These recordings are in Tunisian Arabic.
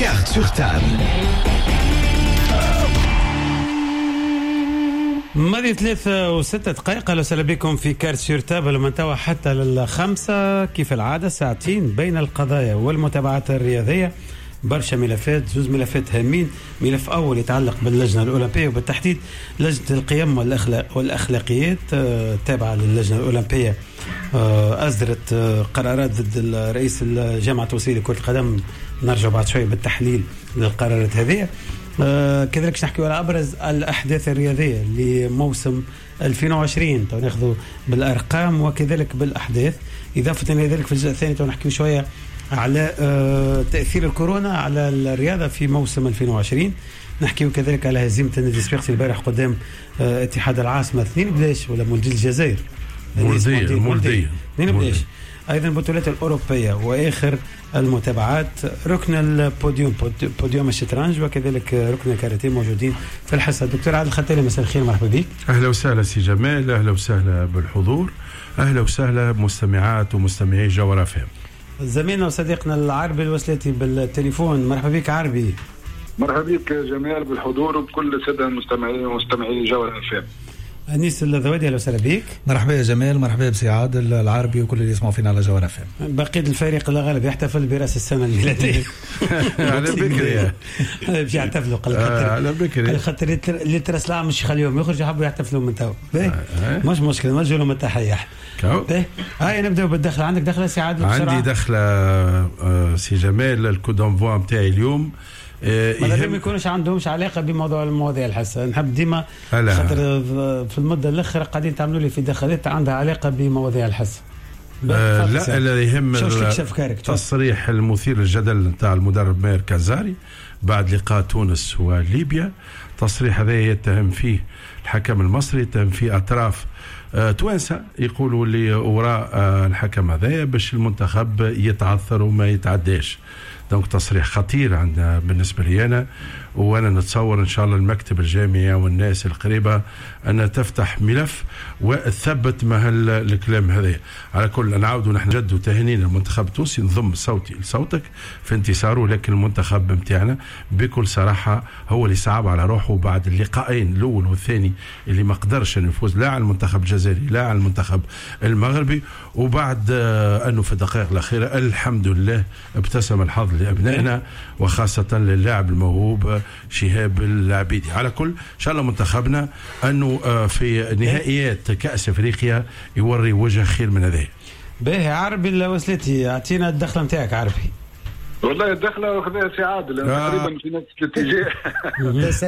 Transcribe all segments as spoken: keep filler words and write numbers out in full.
Carte sur table. ماضي ثلاثة وستة دقائق. أهلا وسهلا بكم في Carte sur table من توا حتى للخمسة كيف العادة، ساعتين بين القضايا والمتابعات الرياضية. برشا ملفات، زوز ملفات هامين. ملف أول يتعلق باللجنة الأولمبية وبالتحديد لجنة القيم والأخلاق والأخلاقيات التابعة للجنة الأولمبية، أصدرت قرارات ضد رئيس الجامعة التونسية لكرة القدم. نرجع بعد شوية بالتحليل للقرارات هذه. كذلك نحكي على أبرز الأحداث الرياضية لموسم ألفين وعشرين، تو ناخذ بالأرقام وكذلك بالأحداث. إضافة إلى ذلك في الجزء الثاني تو نحكي شوية على تأثير الكورونا على الرياضة في موسم ألفين وعشرين. نحكي كذلك على هزيمة النادي الصفاقسي البارح قدام اتحاد العاصمة اثنين بلاش، ولا مولدية الجزائر مولدية مولدية اثنين بلاش. أيضا البطولات الأوروبية وآخر المتابعات، ركن البوديوم بوديوم الشطرنج وكذلك ركن الكاراتيه موجودين في الحصة. دكتور عادل الختالي، مساء الخير، مرحبا بك. أهلا وسهلا سي جمال، أهلا وسهلا بالحضور، أهلا وسهلا بمستمعات ومستمعي جوهرة أف أم. زميلنا وصديقنا العربي الوسلاتي بالتليفون، مرحبا بك عربي. مرحبا بك جمال بالحضور وبكل السادة المستمعين ومستمعي جوهرة أف أم. أنيس الذوادي، أهلا وسهلا بك. مرحبا يا جمال، مرحبا بسي عادل العربي وكل اللي يسمعوا فينا على جوهرة أف أم. بقية الفريق الغالب يحتفل برأس السنة الميلادية. على بكري باش يحتفلوا، قال على بكري خاطر اللي ترس العام مش يخليهم يخرجوا، حبوا يحتفلوا من تو. مش مشكلة، نوجه لهم التحية. هاي نبداو بالدخلة. عندك دخلة سي عادل؟ عندي دخلة سي جمال. ال coup d'envoi نتاعي اليوم ما ما يكونش عندهمش علاقة بموضوع المواضيع الحساسة. نحب ديما خاطر في المدة الاخرى قاعدين تعملوا لي في دخلات عندها علاقة بمواضيع الحساسة. آه لا، اللي يهم التصريح المثير للجدل نتاع المدرب ماهر كازاري بعد لقاء تونس وليبيا. تصريح هذا يتهم فيه الحكم المصري، يتهم فيه اطراف آه توانسة يقولوا اللي وراء آه الحكم هذا باش المنتخب يتعثر وما يتعداش. donc تصريح خطير عندنا بالنسبة لي أنا، وأنا نتصور إن شاء الله المكتب الجامعي والناس القريبة أن تفتح ملف وتثبت ما الكلام هذا. على كل نعاودوا نحن جدوا تهانينا المنتخب التونسي، نضم صوتي لصوتك في انتصاره، لكن المنتخب متاعنا بكل صراحة هو اللي صعب على روحه بعد اللقاءين الأول والثاني اللي ما قدرش أن يفوز لا على المنتخب الجزائري لا على المنتخب المغربي، وبعد أنه في الدقائق الأخيرة الحمد لله ابتسم الحظ لأبنائنا وخاصة للاعب الموهوب شهاب العبيدي. على كل إن شاء الله منتخبنا أنه في نهائيات كأس أفريقيا يوري وجه خير من هذا. باهي عربي الوسلاتي، أعطينا الدخلة متاعك عربي. والله الدخلة واخذها سي عادل آه. تقريبا في نفس الاتجاه.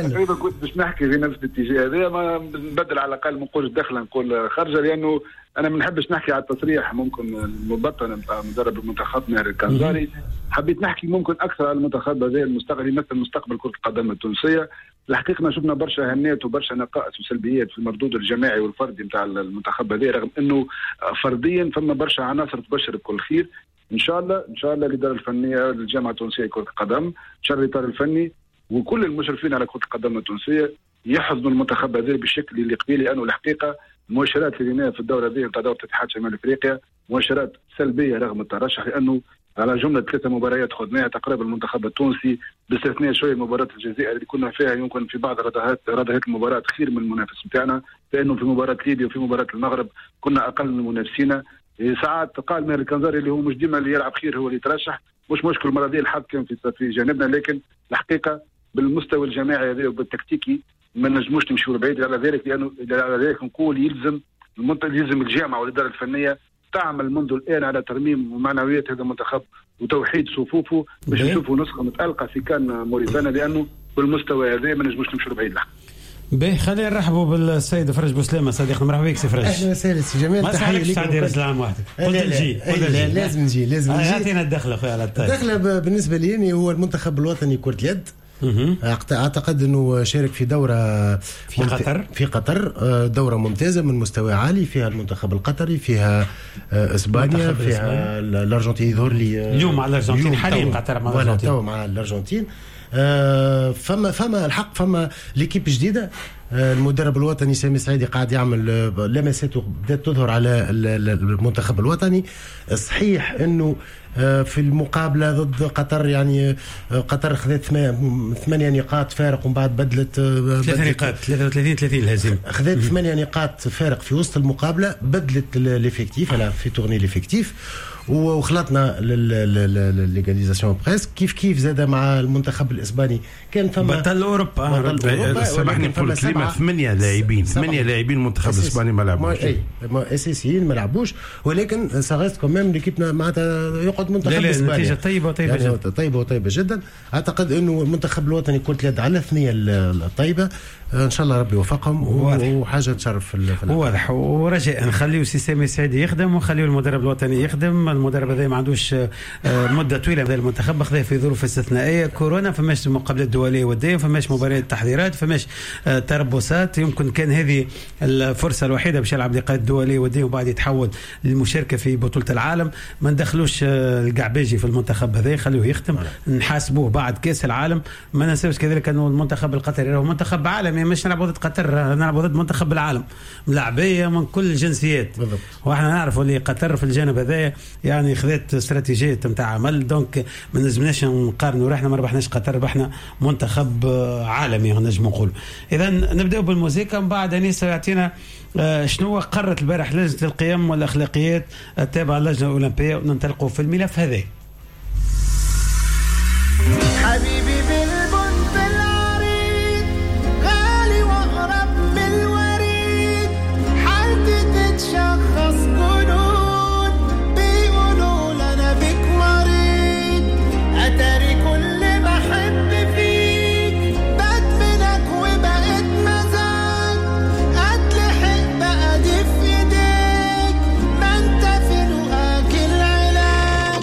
تقريبا كنت باش نحكي في نفس الاتجاه هذا، ما نبدل على الاقل ما نقولش دخله نقول خرجه، لانه انا ما نحبش نحكي على التصريح ممكن المبطن نتاع مدرب المنتخب ماهر الكنزاري. حبيت نحكي ممكن اكثر على المنتخب هذا المستقبل، يمثل مستقبل كره القدم التونسية. الحقيقة شفنا برشا هنات وبرشا نقائص وسلبيات في المردود الجماعي والفردي نتاع المنتخب هذا، رغم انه فرديا فما برشا عناصر تبشر بكل خير. ان شاء الله ان شاء الله الادارة الفنية للجامعة التونسية لكرة القدم، ان شاء الله الاطار الفني وكل المشرفين على كره القدم التونسية يحضنوا المنتخب هذا بالشكل اللي قبيلة، لانه الحقيقة المؤشرات اللي ريناها في الدورة هذه نتاع دوره اتحاد شمال افريقيا مؤشرات سلبية رغم الترشح، لانه على جملة ثلاثة مباريات خذناها تقريبا المنتخب التونسي باستثناء شوية مباراة الجزائر اللي كنا فيها يمكن في بعض ردهات ردهات المباراة خير من المنافس نتاعنا، لانه في مباراة ليبيا وفي مباراة المغرب كنا اقل من منافسينا. ساعات قال ماهر الكنزاري اللي هو مش ديما اللي يلعب خير هو اللي يترشح، مش مشكل المرة دي الحظ كان في في جانبنا، لكن الحقيقة بالمستوى الجماعي هذا وبالتكتيكي ما نجموش نمشيو بعيد. على ذلك لانه على ذلك نقول يلزم المنطق، يلزم الجامعة والادارة الفنية تعمل منذ الان على ترميم معنويات هذا المنتخب وتوحيد صفوفه باش نشوفوا نسخه متالقه في كان موريتانيا، لانه بالمستوى هذا ما نجموش نمشيو بعيد. باهي، خلينا نرحبوا بالسيد فرج بوسلامه صديقنا. مرحبا بك سي فرج. اهلا وسهلا سي جمال، تحية لك. عندي راس العام وحدك قلت نجي، لازم نجي لازم نجي. اعطينا الدخلة خويا على الطاير. الدخلة بالنسبة لي هو المنتخب الوطني كره اليد، اعتقد انه شارك في دوره في قطر في قطر دوره ممتازة من مستوى عالي، فيها المنتخب القطري، فيها اسبانيا، فيها الارجنتين. يظهر لي اليوم مع الارجنتين حاليا قطر مع الارجنتين مع الارجنتين. فما فما الحق فما l'équipe جديدة، المدرب الوطني سامي السعيدي قاعد يعمل لمساته بدات تظهر على المنتخب الوطني. صحيح انه في المقابلة ضد قطر يعني قطر خذت ثمانية نقاط فارق ومن بعد بدلت ثلاثة نقاط ثلاثة وثلاثين ثلاثين الهزيمة، خذت ثمانية نقاط فارق في وسط المقابلة، بدلت l'effectif elle a fait tourner l'effectif وخلطنا l'égalisation presque. كيف كيف زاد مع المنتخب الاسباني كان فما بطل اوروبا. سامحني نقول كلمة، ثمانية لاعبين ثمانية لاعبين المنتخب الاسباني ما لعبوش، اي اساسيين ما لعبوش، ولكن ça reste quand même l'équipe معناتها يقعد منتخب اسباني. نتيجة طيبة وطيبة يعني جدا، طيبة وطيبة جدا. اعتقد انه المنتخب الوطني كرة اليد على الثنية الطيبة، ان شاء الله ربي يوفقهم وحاجه تشرف في واضح. ورجاء نخليو سي سامي السعيدي يخدم ونخليو المدرب الوطني يخدم. المدرب هذا ما عندوش مده طويلة من المنتخب، خذاه في ظروف استثنائية كورونا، فماش مقابلات دولية وديه، فماش مباريات تحضيرات، فماش تربصات. يمكن كان هذه الفرصة الوحيدة باش يلعب لقاءات دولية وديه وبعد يتحول للمشاركة في بطوله العالم. ما ندخلوش القعباجي في المنتخب هذا، خلوه يخدم، نحاسبوه بعد كاس العالم. ما ننساوش كذلك انه المنتخب القطري هو منتخب عالمي، مش نلعبوا ضد قطر، نلعبوا ضد منتخب العالم، ملاعبيه من كل الجنسيات. واحنا نعرفوا اللي قطر في الجانب هذا يعني خذت استراتيجية نتاع عمل، donc ما نجمناش نقارنوا روحنا، ما ربحناش قطر، ربحنا منتخب عالمي نجم نقول. اذا نبداو بالموسيقى من بعد انيس يعطينا شنو قررت البارح لجنة القيم والاخلاقيات التابعة للجنة الاولمبية، وننطلقوا في الملف هذا. حبيبي بالبنت العريض غالي واغرب من الوريد، حالتي تتشخص جنون بيقولوا انا بك مريض، اتاري كل ما احب فيك بدمنك وبقيت مزاج، اتلحق بقى دي في ايديك ما انت في لقاك العلاج،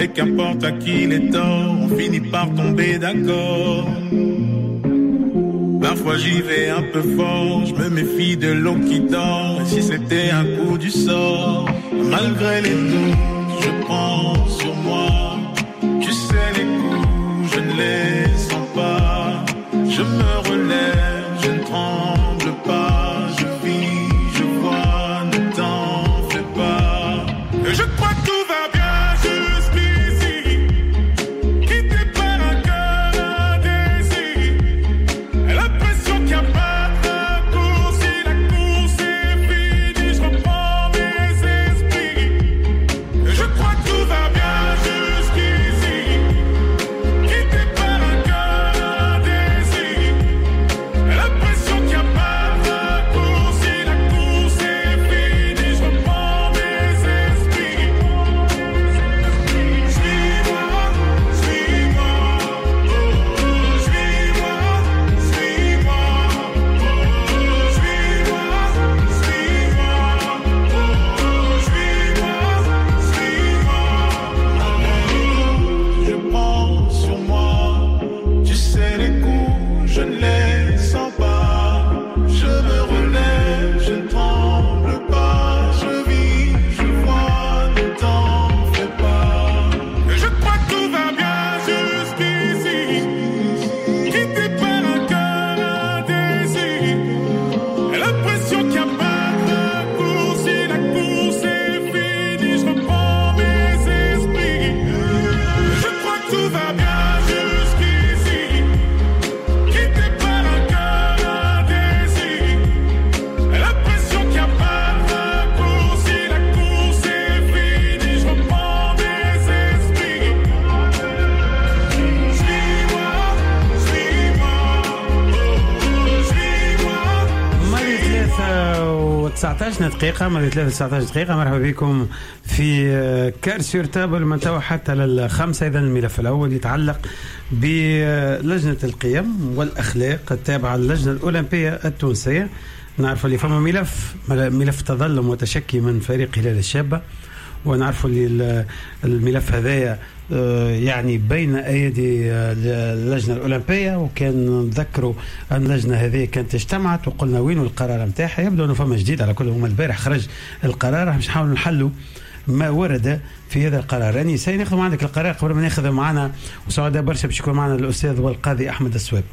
Et qu'importe à qui les torts, on finit par tomber d'accord. Parfois j'y vais un peu fort, je me méfie de l'eau qui dort. Et si c'était un coup du sort, malgré les doutes, je prends sur moi. Tu sais les coups, je ne les sens pas. Je me relève, je ne tremble pas. Je vis, je vois, ne t'en fais pas. Et je crois que tout va bien jusqu'ici. Quitté par un cœur indécis. L'impression qu'il n'y a pas de raccourci. La course est finie, je reprends mes esprits. Et je crois que tout va bien jusqu'ici. Quitté par un cœur indécis. L'impression qu'il n'y a pas de raccourci. La course est finie, je reprends mes esprits. Suis-moi, suis-moi, suis-moi, suis-moi, suis-moi, suis-moi, suis-moi, suis-moi. Je prends sur moi, tu sais les coups, je ne les sens pas. Je me relève, je ne tremble pas. Je vis, je vois, ne t'en fais pas. Et je crois que tout va bien jusqu'ici. Quitté par un cœur indécis. L'impression qu'il n'y a pas de raccourci. La course est finie, je reprends mes esprits. Je crois que tout va bien jusqu'ici. Quitté par un cœur indécis. L'impression qu'il n'y a pas de raccourci. La course est finie, je reprends mes esprits. Suis-moi, suis-moi, suis-moi. ماضي ثلاثة وتسعة عشر دقيقة، ماضي ثلاثة وتسعة عشر دقيقة. مرحبا بكم في Carte sur table من توا حتى للخمسة. إذا الملف الأول يتعلق بلجنة القيم والأخلاق التابعة للجنة الأولمبية التونسية. نعرف اللي فما ملف ملف تظلم وتشكي من فريق هلال الشابة، ونعرفوا اللي الملف هذايا آه، يعني بين ايدي آه، اللجنة الاولمبيه. وكان نذكروا ان اللجنة هذه كانت اجتمعت وقلنا وين القرار نتاعها. يبدو انه فما جديد. على كل هما البارح خرج القرار، باش نحاولوا نحلوا ما ورد في هذا القرار. يعني سيناخذ عندك القرار قبل ما ناخذ معنا، وسعداء برشا باش يكون معنا الاستاذ والقاضي احمد السواب.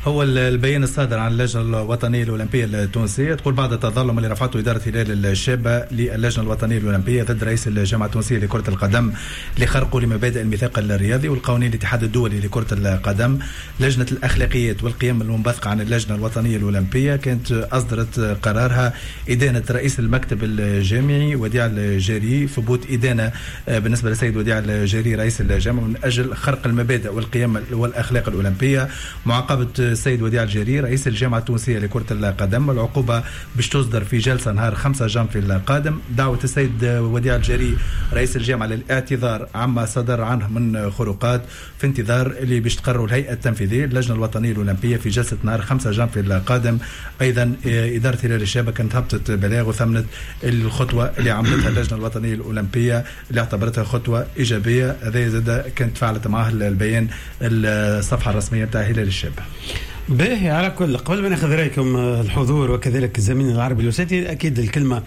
هو البيان الصادر عن اللجنة الوطنية الأولمبية التونسية تقول: بعد التظلم اللي رفعته إدارة هلال الشابة للجنة الوطنية الأولمبية ضد رئيس الجامعة التونسية لكرة القدم لخرقه لمبادئ الميثاق الرياضي والقوانين الاتحاد الدولي لكرة القدم، لجنة الأخلاقيات والقيم المنبثقة عن اللجنة الوطنية الأولمبية كانت أصدرت قرارها إدانة رئيس المكتب الجامعي وديع الجاري، ثبوت إدانة بالنسبة للسيد وديع الجاري رئيس الجامعة من أجل خرق المبادئ والقيم والأخلاق الأولمبية، معاقبة السيد وديع الجري رئيس الجامعة التونسية لكرة القدم، العقوبة باش تصدر في جلسة نهار خمسة جانفي القادم، دعوة السيد وديع الجري رئيس الجامعة للاعتذار عما صدر عنه من خروقات، في انتظار اللي باش تقرروا الهيئة التنفيذية اللجنة الوطنية الأولمبية في جلسة نهار خمسة جانفي القادم. أيضا إدارة هلال الشابة كانت هبطت بلاغ وثمنت الخطوة اللي عملتها اللجنة الوطنية الأولمبية اللي اعتبرتها خطوة إيجابية. هذا زاد كانت فعلت معاه البيان الصفحة الرسمية بتاع هلال الشابة. باهي، على كل قبل ما ناخذ رايكم الحضور وكذلك الزميل العربي الوساتي، اكيد الكلمة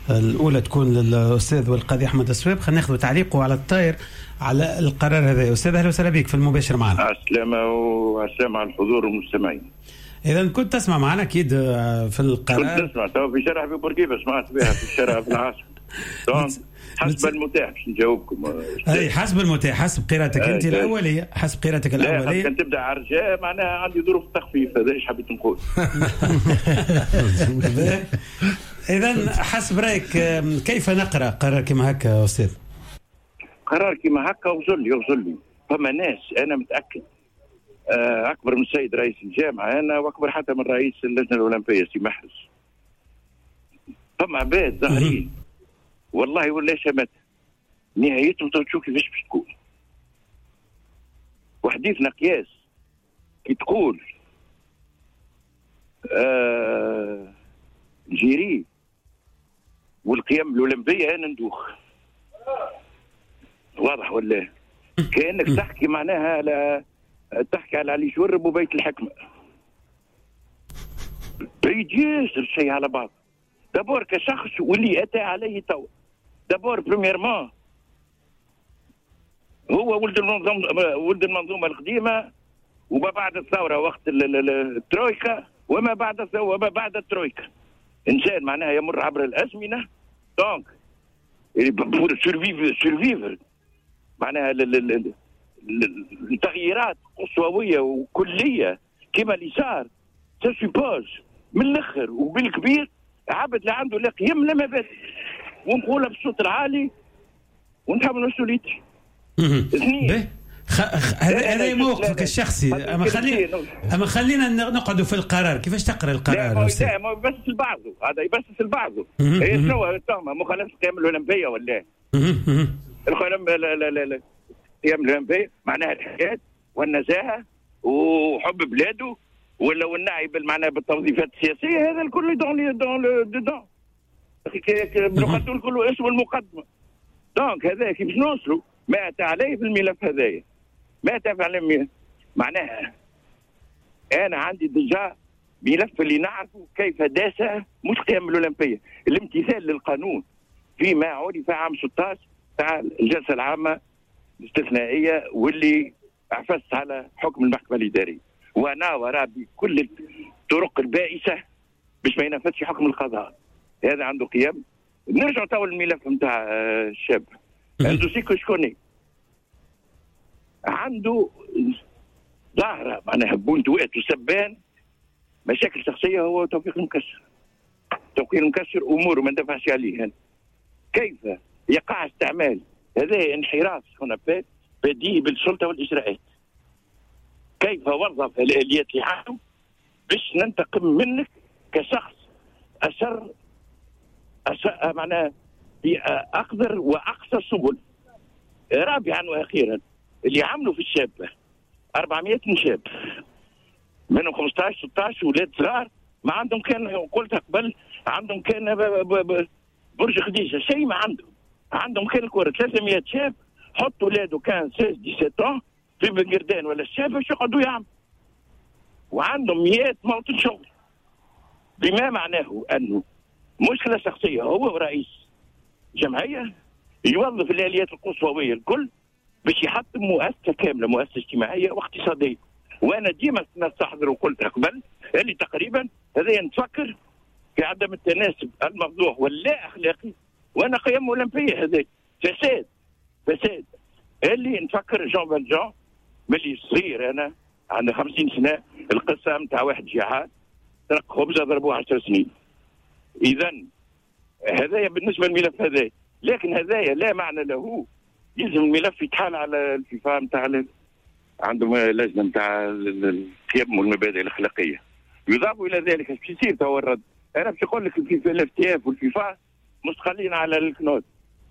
الاولى تكون للاستاذ والقاضي احمد السواب. خلينا ناخذ تعليقه على الطاير على القرار هذا. استاذ، اهلا وسهلا بك في المباشر معنا. السلامة والسلامة على الحضور والمستمعين. اذا كنت تسمع معنا اكيد في القرار. كنت نسمع تو في شارع في بورقيبه، سمعت بها في الشارع في العاصمة. حسب المتاح باش نجاوبكم. اي حسب المتاح، حسب قراءتك انت الاوليه، حسب قراءتك الاوليه. كان تبدا على الرجاء معناها عندي ظروف تخفيف، هذا ايش حبيت نقول. اذا حسب رايك كيف نقرا قرار كما هكا استاذ؟ قرار كما هكا يغزر لي يغزر لي فما ناس انا متاكد اكبر من السيد رئيس الجامعة انا، واكبر حتى من رئيس اللجنة الاولمبية سي محرز. فما عباد ظاهرين والله ولا شمت نهايتهم تشوف كيفاش باش تكون. وحديثنا قياس كي تقول آه جيري والقيم الاولمبية انا ندوخ. واضح ولا؟ كانك تحكي معناها على تحكي على علي شورب وبيت الحكمة. بعيد ياسر شيء على بعض. d'abord كشخص واللي اتى عليه تو، d'abord premièrement هو ولد المنظومة، ولد المنظومة القديمة وما بعد الثورة وقت الترويكا وما بعد وما بعد الترويكا. انسان معناها يمر عبر الازمنة، donc pour survivre survivre معناها التغييرات قصويه وكلية كما اللي صار ça suppose من الاخر وبالكبير عبد لا عنده لا قيم لا مبادئ، ونقولها بالصوت العالي ونتحمل مسؤوليتي. اثنين هذا موقفك الشخصي، اما خلينا اما خلينا نقعدوا في القرار. كيفاش تقرا القرار؟ لا لا ما يبسس لبعضه، هذا يبسس لبعضه. هي شنو التهمة؟ مخالفة القيم الاولمبية ولا القيم الاولمبية معناها الحياة والنزاهة وحب بلاده ولا والنعي بالمعنى بالتوظيفات السياسية، هذا الكل dans dans dedans بنقدموا الكل اسم المقدمة. donc هذا كيفاش نوصلوا ما اتى عليه في الملف هذايا، ما اتى عليه معناها انا عندي déjà ملف اللي نعرفه كيف داس مش قيم الاولمبية، الامتثال للقانون فيما عرف عام ستة عشر تاع الجلسة العامة الاستثنائية واللي عفست على حكم المحكمة الادارية وناور بكل الطرق البائسة باش ما ينفذش حكم القضاء. هذا عنده قيم. نرجع تو للملف نتاع الشاب un dossier que je connais، عنده ظاهره معناها بونتوات وسبان مشاكل شخصية هو توفيق المكسر. توفيق المكسر اموره ما ندافعش عليه. كيف يقع استعمال هذا انحراف ce qu'on appelle بديهي بالسلطة والاجراءات؟ كيف وظف الاليات اللي عنده باش ننتقم منك كشخص اشر أشر معناها بأقدر وأقصى السبل. رابعا وأخيرا اللي عملوا في الشابة أربعمائة شاب منهم خمسة عشر ستة عشر ولاد صغار ما عندهم كان، قلتها قبل، عندهم كان برج خديجة شيء ما عندهم، عندهم كان الكرة. ثلاثمائة شاب حطوا ولاده كان ستة عشر سبعة عشر في بنقردان ولا الشاب باش يقعدوا يعملوا، وعندهم مئات موطن شغل. بما معناه أنه مشكلة شخصية هو رئيس جمعية يوظف الآليات القصوية الكل باش يحطم مؤسسة كاملة، مؤسسة اجتماعية واقتصادية. وأنا ديما نستحضر وقلتها قبل اللي تقريبا هذا نتفكر في عدم التناسب المفضوح واللا أخلاقي، وأنا قيم أولمبية هذا فساد فساد اللي نفكر جون فالجون ملي صغير أنا عندي خمسين سنة، القصة نتاع واحد جيعان سرق خبزة ضربوه عشر سنين. إذا هذايا بالنسبة للملف هذايا، لكن هذايا لا معنى له. يلزم الملف يتحال على الفيفا نتاع عندهم لجنة نتاع القيم والمبادئ الاخلاقية. يضاف الى ذلك باش يصير تو الرد. انا باش نقول لك ال FTF والفيفا مستقلين على الكنوت،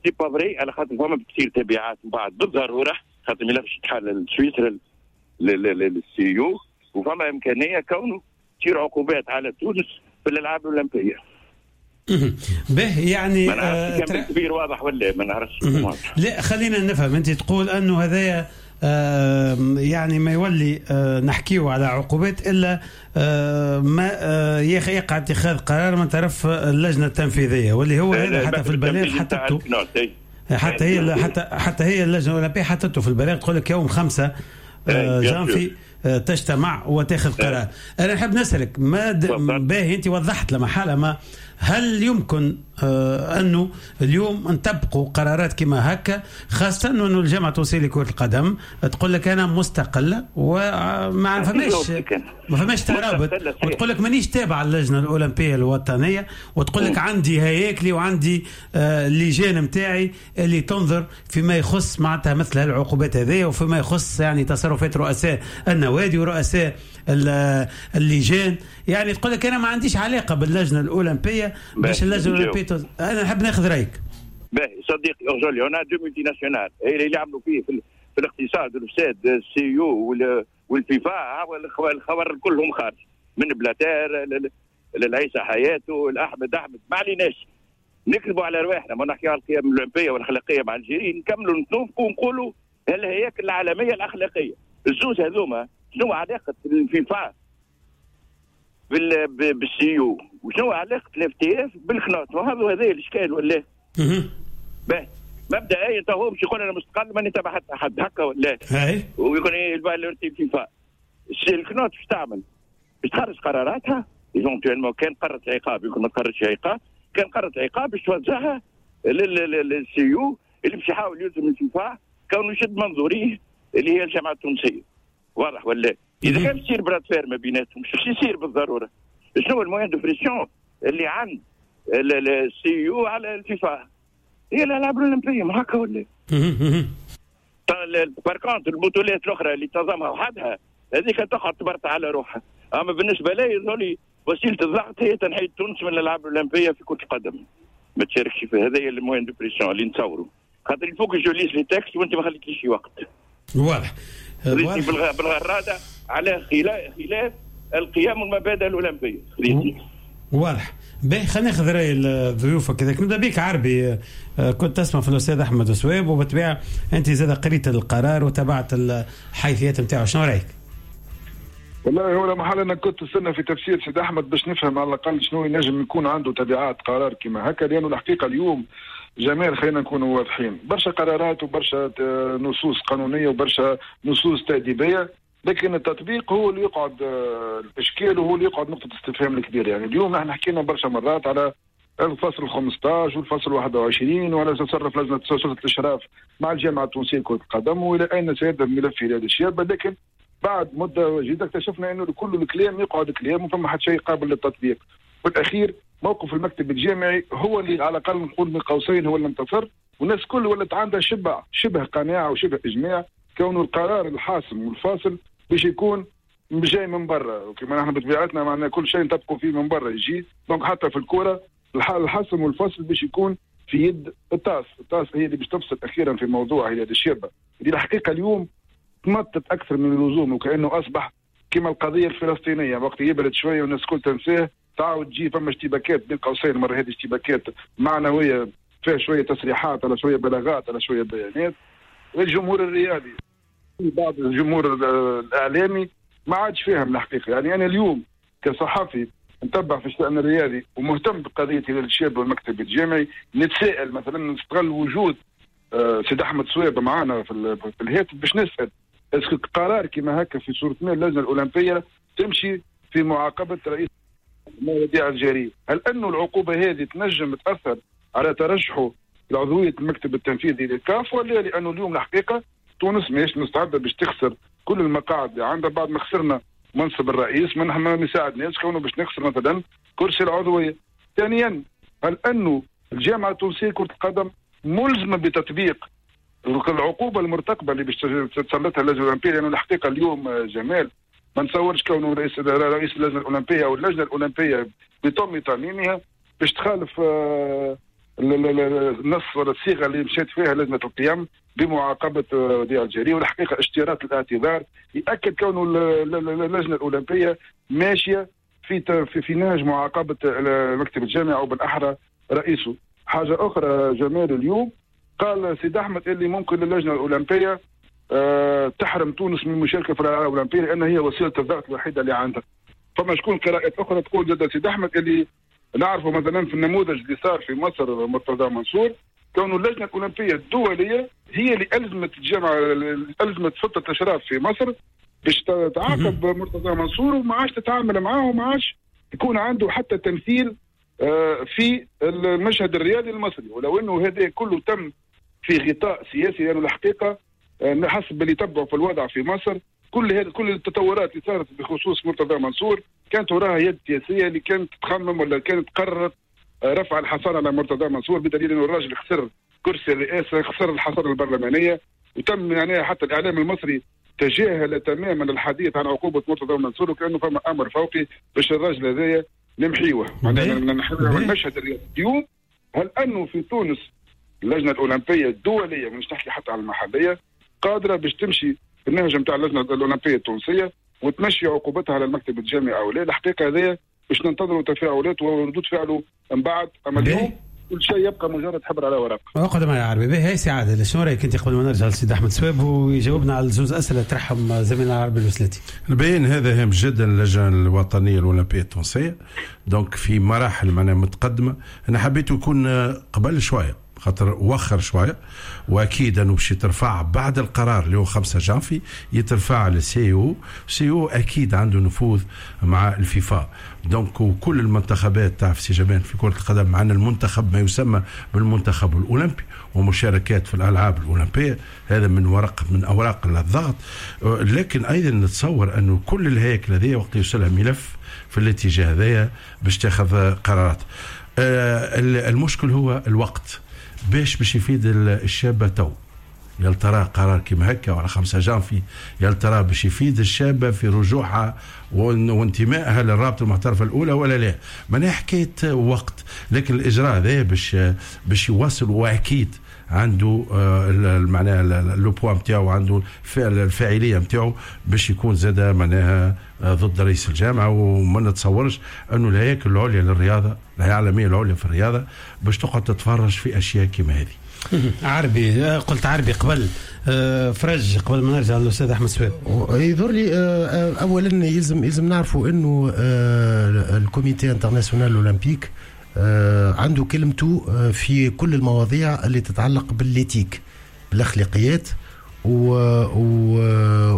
c'est pas vrai، على خاطر فما بتصير تبعات من بعد بالضرورة، خاطر الملف يتحال لسويسرا لل CIO، وفما امكانية كونه تصير عقوبات على تونس في الالعاب الاولمبية. به يعني ما نعرفش كان كبير واضح ولا ما نعرفش. لا خلينا نفهم، انت تقول انه هذايا آه يعني ما يولي آه نحكيه على عقوبات الا آه ما آه يقع اتخاذ قرار من طرف اللجنة التنفيذية، واللي هو هذا حتى في البلاغ حطته، حتى هي حتى حتى هي اللجنة الاولمبية حطته في البلاغ، تقول لك يوم خمسة آه جانفي تجتمع وتاخذ قرار. انا نحب نسالك ما باهي انت وضحت لما حاله، ما هل يمكن آه انه اليوم نطبقوا قرارات كما هكا، خاصة انه الجامعة التونسية لكرة القدم تقول لك انا مستقلة وما فماش ما فماش ترابط، وتقول لك مانيش تابع اللجنة الاولمبية الوطنية، وتقول لك عندي هياكلي وعندي آه اللجان نتاعي اللي تنظر فيما يخص معناتها مثل هالعقوبات هذه، وفيما يخص يعني تصرفات رؤساء النوادي ورؤساء اللجان. يعني تقول لك انا ما عنديش علاقة باللجنه الاولمبية باش اللجنة الاولمبية تز... انا نحب ناخذ رايك. باهي صديقي اورجولي، on a deux multinationales اللي عملوا فيه في, في الاقتصاد والفساد، ال CIO والفيفا والخبر كلهم خارج من بلاتير للعيسى حياته الاحمد احمد، ما عليناش نكذبوا على رواحنا، ما نحكيو على القيم الاولمبية والاخلاقية مع الجيرين، نكملوا نتوافقوا ونقولوا الهياكل العالمية الاخلاقية. الزوز هذوما شنو علاقة الفيفا بال بال CIO وشنو علاقة ال FTF بال CNOT؟ وهذا هذا الاشكال ولا؟ باهي مبدئيا تو هو مش يقول انا مستقل ماني تبع حتى حد هكا ولا؟ ويقول ايه الفيفا. ال CNOT باش تعمل؟ باش تخرج قراراتها éventuellement، كان قررت عقاب يمكن ما تقررش عقاب، كان قررت عقاب باش توزعها لل CIO اللي باش يحاول يلزم الفيفا كونه يشد منظوريه اللي هي الجامعة التونسية. واضح ولا؟ اذا كان يصير bras de fer ما بيناتهم مش يصير بالضرورة. شنو ال moyen de pression اللي عند ال CIO على الفيفا؟ هي الالعاب الاولمبية ما هكا ولا؟ par contre البطولات الاخرى اللي تنظمها وحدها هذيك تقعد تبرطع على روحها. اما بالنسبة لي يظهر وسيلة الضغط هي تنحي تونس من الالعاب الاولمبية في كره القدم، ما تشاركش في هذا هي ال moyen de pression اللي نتصوروا، خاطر il faut que je lise les textes وانت ما خليتليش وقت. واضح. بالغراده على خلاف القيم والمبادئ الاولمبية. واضح. باهي خلينا ناخذ راي الضيوف كذلك. نبدا بك عربي، كنت تسمع في الاستاذ احمد صواب وبالطبيعه انت زاد قريت القرار وتابعت الحيثيات نتاعو، شنو رايك؟ والله هو لا محل انا كنت استنى في تفسير سيد احمد باش نفهم على الاقل شنو ينجم يكون عنده تبعات قرار كما هكا، لانه الحقيقة اليوم جمال خلينا نكونوا واضحين، برشا قرارات وبرشا نصوص قانونية وبرشا نصوص تاديبيه، لكن التطبيق هو اللي يقعد الاشكال وهو اللي يقعد نقطة استفهام الكبيرة. يعني اليوم نحن حكينا برشا مرات على الفصل خمسطاش والفصل واحد وعشرين وعلى تصرف لجنة سلطة الاشراف مع الجامعة التونسية لكرة القدم والى اين سيذهب ملف هلال الشابة، لكن بعد مده جديدة اكتشفنا انه كل الكلام يقعد كلام وفما حتى شيء قابل للتطبيق. والاخير موقف المكتب الجامعي هو اللي على الاقل نقول من قوسين هو اللي انتصر، والناس كل ولت عندها شبه شبه قناعة وشبه اجماع كونه القرار الحاسم والفاصل باش يكون جاي من برا، وكما نحن بطبيعتنا معنا كل شيء نطبقوا فيه من برا يجي، donc حتى في الكورة الحاسم والفاصل باش يكون في يد التاس، التاس هي اللي باش تفصل اخيرا في موضوع هلال الشابة اللي الحقيقة اليوم تمطت اكثر من اللزوم، وكانه اصبح كما القضية الفلسطينية وقت يبرد شوية والناس الكل تنساه تعاود تجي فما اشتباكات بين قوسين، المرة هذه اشتباكات معنوية فيها شوية تصريحات على شوية بلاغات على شوية بيانات. الجمهور الرياضي بعض الجمهور الاعلامي ما عادش فاهم الحقيقة. يعني انا اليوم كصحفي نتبع في الشان الرياضي ومهتم بقضيه هلال الشاب والمكتب الجامعي، نتساءل مثلا، نستغل وجود سيد احمد صواب معنا في الهاتف باش نسال est-ce que قرار كما هكا في صوره ما اللجنة الاولمبية تمشي في معاقبة رئيس وديع الجريء، هل انه العقوبة هذه تنجم تاثر على ترشحه لعضويه المكتب التنفيذي للكاف ولا؟ لانه اليوم الحقيقة تونس ماهيش مستعدة باش تخسر كل المقاعد اللي عندها بعد ما خسرنا منصب الرئيس، من ما يساعدناش كونه باش نخسر مثلا كرسي العضوية. ثانيا، هل انه الجامعة التونسية كره القدم ملزمة بتطبيق العقوبة المرتقبه اللي باش تسلطها اللجنة الاولمبية؟ لانه الحقيقة اليوم جمال ما نتصورش كونه رئيس رئيس اللجنة الاولمبية او اللجنة الاولمبية بطم تعميمها باش تخالف النص ولا الصيغة اللي مشات فيها لجنة القيم بمعاقبه وديع الجريء. والحقيقة اشتراط الاعتذار ياكد كونه اللجنة الاولمبية ماشية في في, في نهج معاقبة المكتب الجامعي او بالاحرى رئيسه. حاجة اخرى جمال، اليوم قال سيد احمد اللي ممكن للجنة الاولمبية أه تحرم تونس من المشاركة في الالعاب الاولمبية لان هي وسيلة الضغط الوحيدة اللي عندها. فما شكون قراءات اخرى تقول جدا سيد احمد اللي نعرفه مثلا في النموذج اللي صار في مصر مرتضى منصور، كون اللجنة الاولمبية الدولية هي اللي الزمت الجامعة، الزمت سلطة الاشراف في مصر باش تعاقب مرتضى منصور وما عادش تتعامل معاه وما عادش يكون عنده حتى تمثيل في المشهد الرياضي المصري. ولو انه هذا كله تم في غطاء سياسي، لانه الحقيقة حسب اللي تبعوا في الوضع في مصر كل هذه كل التطورات اللي صارت بخصوص مرتضى منصور كانت وراها يد سياسية اللي كانت تخمم ولا كانت قررت رفع الحصانة على مرتضى منصور، بدليل انه الراجل خسر كرسي الرئاسة، خسر الحصانة البرلمانية، وتم يعني حتى الاعلام المصري تجاهل تماما الحديث عن عقوبه مرتضى منصور وكانه فما امر فوقي باش الراجل هذايا نمحيوه، معناها نمحيوه المشهد الرياضي. اليوم هل انه في تونس اللجنة الاولمبية الدولية، مش نحكي حتى على المحلية، قادرة باش تمشي في النهج نتاع اللجنة الاولمبية التونسية وتمشي عقوبتها على المكتب الجامعي او لا؟ الحقيقة هذايا باش ننتظروا تفاعلات وردود فعله من بعد. اما اليوم كل شيء يبقى مجرد حبر على ورق. اقعد معي يا عربي. باهي سي عادل، شنو رايك انت قبل ما نرجع للسيد احمد سواب ويجاوبنا على زوز اسئلة طرحهم زميلنا العربي الوسلاتي؟ البيان هذا هام جدا للجنة الوطنية الاولمبية التونسية، donc في مراحل معناها متقدمة. انا حبيته يكون قبل شوية خاطر وخر شوية، واكيد انه باش يترفع بعد القرار اللي هو خمسة جانفي يترفع لل CIO. CIO اكيد عنده نفوذ مع الفيفا، donc وكل المنتخبات تعرف سي جمال في كره القدم معنا المنتخب ما يسمى بالمنتخب الاولمبي ومشاركات في الالعاب الاولمبية، هذا من ورق من اوراق الضغط. لكن ايضا نتصور انه كل الهياكل هذه وقت يوصلها ملف في الاتجاه هذايا باش تاخذ قرارات. المشكل هو الوقت باش باش يفيد الشابة تو. يا ترى قرار كيما هكا ولا خمسة جانفي يا ترى باش يفيد الشابة في رجوعها وانتمائها للرابطة المحترفه الاولى ولا لا؟ معناها حكاية وقت، لكن الاجراء هذا باش باش يواصل، واكيد عنده معناها le poids نتاعو، عنده الفاعلية نتاعو باش يكون زاد معناها ضد رئيس الجامعة. وما نتصورش انه الهياكل العليا للرياضة، الهيئة العالمية العليا في الرياضة، باش تقعد تتفرج في اشياء كما هذه. عربي، قلت عربي قبل فرج، قبل ما نرجع للاستاذ احمد سواب. يظهر لي اولا يلزم يلزم نعرفوا انه ال comité international olympique عنده كلمته في كل المواضيع اللي تتعلق بال éthique، بالاخلاقيات،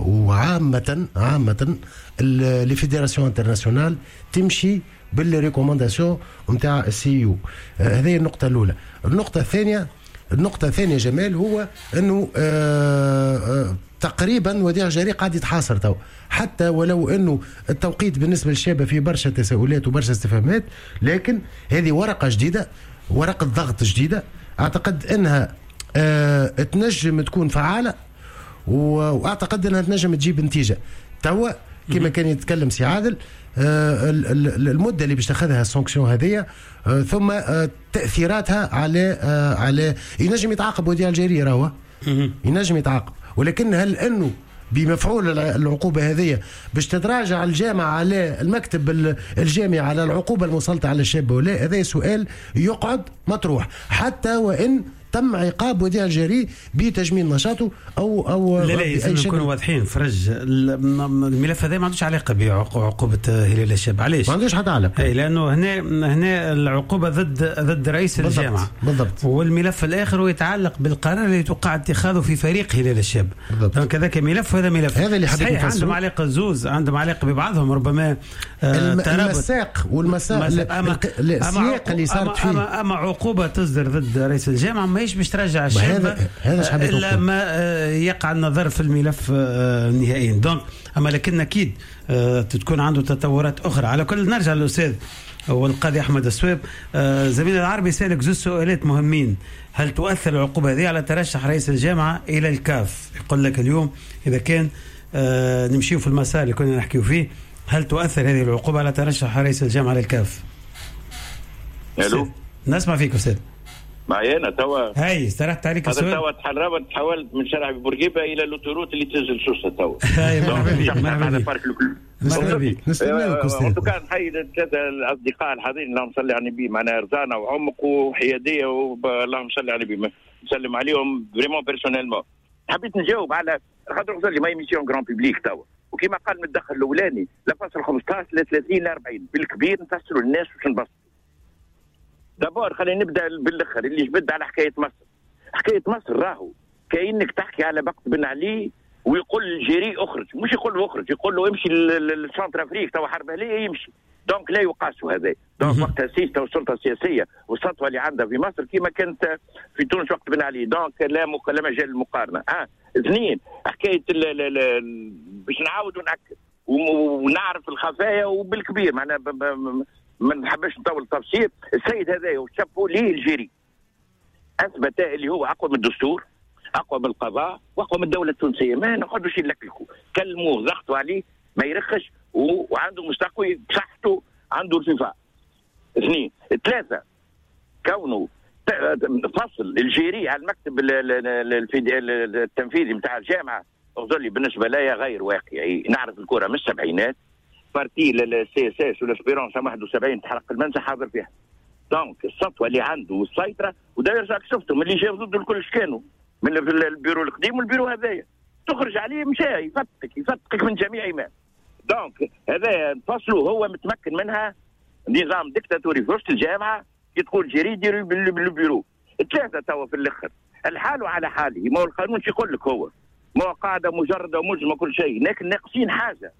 وعامة عامة les fédérations internationales تمشي بال recommandations نتاع ال CIO. هذه النقطة الأولى. النقطة الثانية النقطة الثانية جمال هو أنه آآ آآ تقريبا وديع الجري قاعد يتحاصر تو، حتى ولو أنه التوقيت بالنسبة للشابة فيه برشا تساؤلات وبرشا استفهامات، لكن هذه ورقة جديدة، ورقة ضغط جديدة، أعتقد أنها تنجم تكون فعالة، وأعتقد أنها تنجم تجيب نتيجة. توا كما كان يتكلم سي عادل، المدة اللي باش تاخذها ال sanction هذه، ثم تاثيراتها على على ينجم يتعاقب وديع الجري، راهو ينجم يتعاقب، ولكن هل انه بمفعول العقوبة هذه باش تتراجع الجامعة على المكتب الجامعي على العقوبة المسلطه على الشاب ولا؟ هذا سؤال يقعد مطروح، حتى وان تم عقاب وديع الجري بتجميل نشاطه او او لا لا لازم نكونوا واضحين فرج، الملف هذا ما عندوش علاقة بعقوبة هلال الشاب. علاش؟ ما عندوش حتى علاقة، اي لانه هنا هنا العقوبة ضد ضد رئيس بالضبط الجامعة بالضبط، والملف الاخر هو يتعلق بالقرار اللي توقع اتخاذه في فريق هلال الشاب. donc هذاك ملف وهذا ملف، هذا اللي حبيت نفسره. عندهم علاقة زوز، عندهم علاقة ببعضهم، ربما الم... المساق والمساق السياق اللي صارت فيه. اما, أما عقوبه تصدر ضد رئيس الجامعة ماهيش باش ترجع الشاب هذا الا ما يقع النظر في الملف نهائيا. donc اما لكن اكيد تكون عنده تطورات اخرى. على كل نرجع للاستاذ والقاضي احمد السواب. زميلنا العربي سالك زوج سؤالات مهمين. هل تؤثر العقوبة هذه على ترشح رئيس الجامعة الى الكاف؟ يقول لك اليوم اذا كان نمشيو في المسار اللي كنا نحكيو فيه، هل تؤثر هذه العقوبة على ترشح رئيس الجامعة للكاف؟ الو، نسمع فيك استاذ. معي انا توا؟ هاي استرحت عليك السؤال. هذا توا تحربت، تحولت من شارع بورقيبة الى l'autoroute اللي تنزل سوسة توا. هاي مرحبا بك، مرحبا بك. نستناك استاذ. كان نحيي الثلاثة الاصدقاء الحاضرين، اللهم صل على النبي، معنا رزانه وعمق وحياديه، اللهم صل على النبي، نسلم عليهم vraiment personnellement. حبيت نجاوب على خاطر غزالي ما émission grand public توا، وكما قال من الدخل الاولاني لا فاصل خمسطاش لا ثلاثين لا أربعين بالكبير نفسروا للناس باش نبسطوا. d'abord خلينا نبدا بالاخر اللي جبد على حكاية مصر. حكاية مصر راهو كانك تحكي على وقت بن علي ويقول الجيري اخرج، مش يقول له اخرج، يقول له امشي لل Centrafrique توا حرب اهليه يمشي. donc لا يقاس هذا. donc وقتها سيستا والسلطة السياسية والسطوه اللي عندها في مصر كما كانت في تونس وقت بن علي، donc لا مق... لا مجال للمقارنه. اه اثنين حكاية باش نعاود ونأكد ونعرف الخفايا وبالكبير معناها ب... ب... ما نحبش نطول التفسير. السيد هذا وشابو ليه الجيري اثبت اللي هو اقوى من الدستور، اقوى من القضاء، واقوى من الدولة التونسية. ما نقعدوش نلكلكوا، كلموه ضغطوا عليه ما يرخش، وعنده مستقوي بصحته، عنده الفيفا. اثنين ثلاثة كونه فصل الجيري على المكتب التنفيذي نتاع الجامعة اظل بالنسبة لي غير واقعي. نعرف الكره من السبعينات، partie ال CSS وال Espérance واحد وسبعين تحرق المنزه حاضر فيها. donc السطوه اللي عنده والسيطرة، ودا يرجع شفتوا من اللي جاو ضده الكل كانوا من البيرو القديم والبيرو هذايا، تخرج عليه مشى يفتك يفتك من جميع ما. donc هذا فصله هو متمكن منها، نظام ديكتاتوري في وسط الجامعة، كي تقول جيري ديروا بالبيرو ثلاثة توا في الاخر، الحال على حاله. ما هو القانون شو يقول لك؟ هو ما هو قاعدة مجرده وملزمه كل شيء، لكن ناقصين حاجة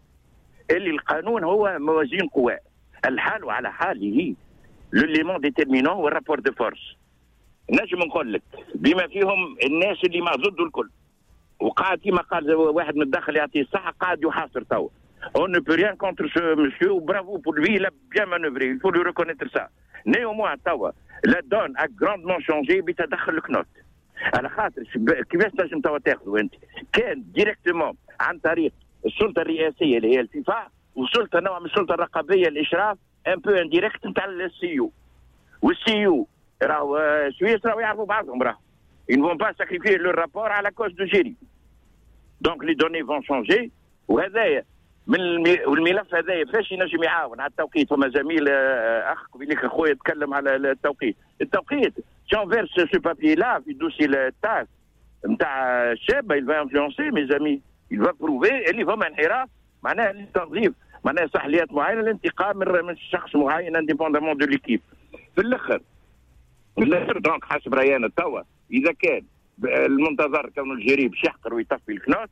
اللي القانون هو موازين قوى، الحال على حاله l'élément déterminant هو ال rapport de force. نجم نقول لك بما فيهم الناس اللي ما ضده الكل، وقاعد كما قال واحد من الداخل يعطيه الصحة قاعد يحاصر توا. On ne peut rien contre ce monsieur, bravo pour lui, il a bien manœuvré, il faut lui reconnaître ça. Néanmoins توا la donne a grandement changé بتدخل الكنوت. على خاطر كيفاش تنجم توا تاخذوا انت؟ كان directement عن طريق السلطة الرئاسية اللي هي الفيفا، وسلطة نوع من السلطة الرقابية الاشراف un peu indirect نتاع ال CIO. وال CIO راهو سويس راهو يعرفوا بعضهم، راهو ils ne vont pas sacrifier leur rapport à la cause de Géry. Donc les données vont changer. وهذايا من والملف هذايا فاش ينجم يعاون على التوقيت. فما زميل اخ قبيلك اخويا تكلم على التوقيت. التوقيت si on verse ce papier-là في dossier التاس نتاع الشابة، il va influencer mes amis, il va prouver اللي فما انحراف، معناها التنظيف، معناها صحليات معينة، الانتقام من شخص معين indépendamment de l'équipe. في الاخر في الاخر donc حسب راينا توا اذا كان المنتظر كون الجيري باش يحقر ويطفي الكنوت،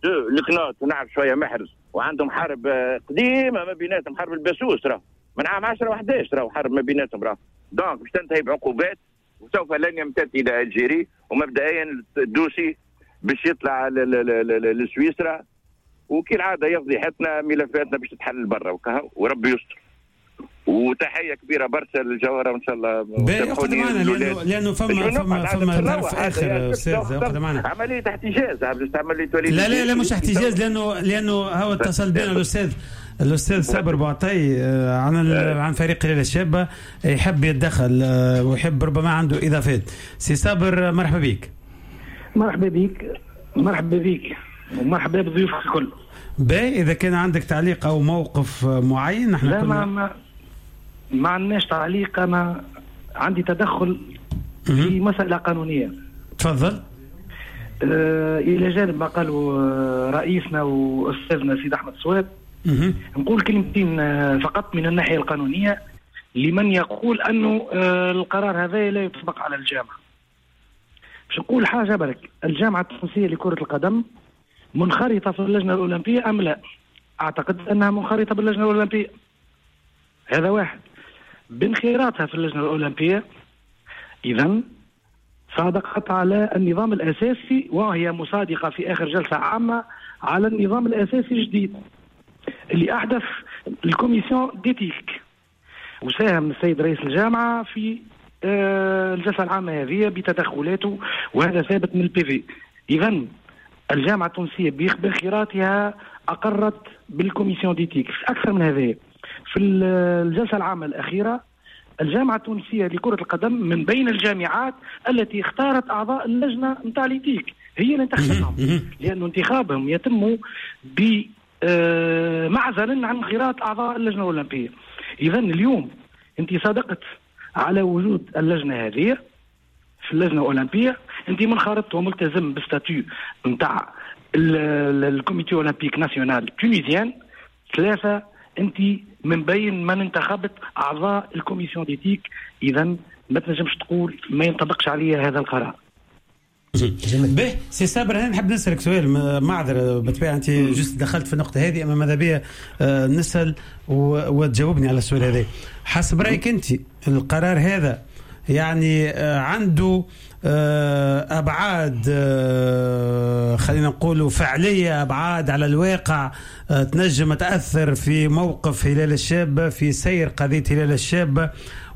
دو الكنوت ونعرف شوية محرز وعندهم حرب قديمة ما بيناتهم، حرب الباسوس راه من عام عشرة وحداش راهو حرب ما بيناتهم راه، donc باش تنتهي بعقوبات وسوف لن يمتد الى الجيري، ومبدئيا ال dossier باش يطلع لسويسرا، وكالعادة يفضيحتنا ملفاتنا باش تتحل برا وربي يستر. وتحية كبيرة برشا للجوهره وان شاء الله اقعد معنا لانه لانه فما فما فما طرف اخر استاذ، اقعد معنا. عملية احتجاز عملية وليد. لا لا لا مش احتجاز، لانه لانه هو اتصل بنا الاستاذ الاستاذ صابر بوعطي عن عن فريق هلال الشابة، يحب يتدخل ويحب ربما عنده اضافات. سي صابر مرحبا بك. مرحبا بك، مرحبا بك ومرحبا بضيوفك الكل. باهي، اذا كان عندك تعليق او موقف معين. نحن لا ما ما ما عندناش تعليق، انا عندي تدخل في مسألة قانونية. تفضل. آه إلى جانب ما قالوا رئيسنا وأستاذنا سيد أحمد صواب، نقول كلمتين فقط من الناحية القانونية لمن يقول أنه آه القرار هذا لا يطبق على الجامعة. باش نقول حاجة برك، الجامعة التونسية لكرة القدم منخرطة في اللجنة الأولمبية أم لا؟ أعتقد أنها منخرطة باللجنة الأولمبية. هذا واحد. بانخراطها في اللجنة الأولمبية إذن صادقت على النظام الأساسي، وهي مصادقة في آخر جلسة عامة على النظام الأساسي الجديد اللي أحدث ال commission d'éthique، وساهم السيد رئيس الجامعة في الجلسة العامة هذه بتدخلاته، وهذا ثابت من ال PV. إذن الجامعة التونسية بانخراطها أقرت بال commission d'éthique. أكثر من هذا، في الجلسة العامة الأخيرة الجامعة التونسية لكرة القدم من بين الجامعات التي اختارت أعضاء اللجنة نتاع l'éthique، هي اللي انتخبتهم، لأن انتخابهم يتم بمعزل عن انخراط أعضاء اللجنة الأولمبية. إذن اليوم أنت صادقت على وجود اللجنة هذه في اللجنة الأولمبية، أنت منخرط وملتزم ب statut نتاع ال comité olympique national tunisien. ثلاثة، أنت من بين من انتخبت أعضاء ال commission d'éthique، إذا ما تنجمش تقول ما ينطبقش عليا هذا القرار. به سي صابر، انا نحب نسالك سؤال، معذرة بالطبيعة انت juste دخلت في النقطة هذه، اما ماذا بيا نسال وتجاوبني على السؤال هذا. حسب رايك انت القرار هذا يعني عنده ابعاد، خلينا نقولوا فعليه، ابعاد على الواقع تنجم تاثر في موقف هلال الشابة، في سير قضية هلال الشابة،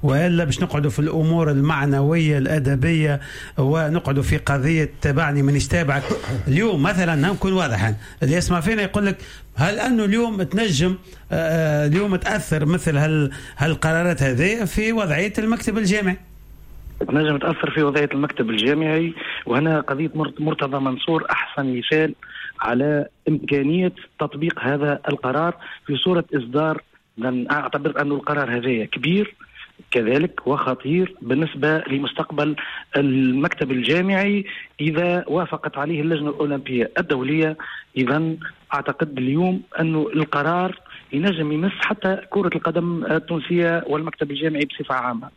والا باش نقعدوا في الامور المعنوية الادبية ونقعدوا في قضية تبعني مانيش تابعك؟ اليوم مثلا نكون واضحا، اللي يسمع فينا يقول لك هل انه اليوم تنجم اليوم تاثر مثل هال هالقرارات هذه في وضعية المكتب الجامعي؟ تنجم تأثر في وضعية المكتب الجامعي، وهنا قضية مرتضى منصور أحسن مثال على إمكانية تطبيق هذا القرار في صورة إصدار. أعتبر أن القرار هذا كبير، كذلك وخطير بالنسبة لمستقبل المكتب الجامعي إذا وافقت عليه اللجنة الأولمبية الدولية. إذن أعتقد اليوم أنه القرار ينجم يمس حتى كرة القدم التونسية والمكتب الجامعي بصفة عامة.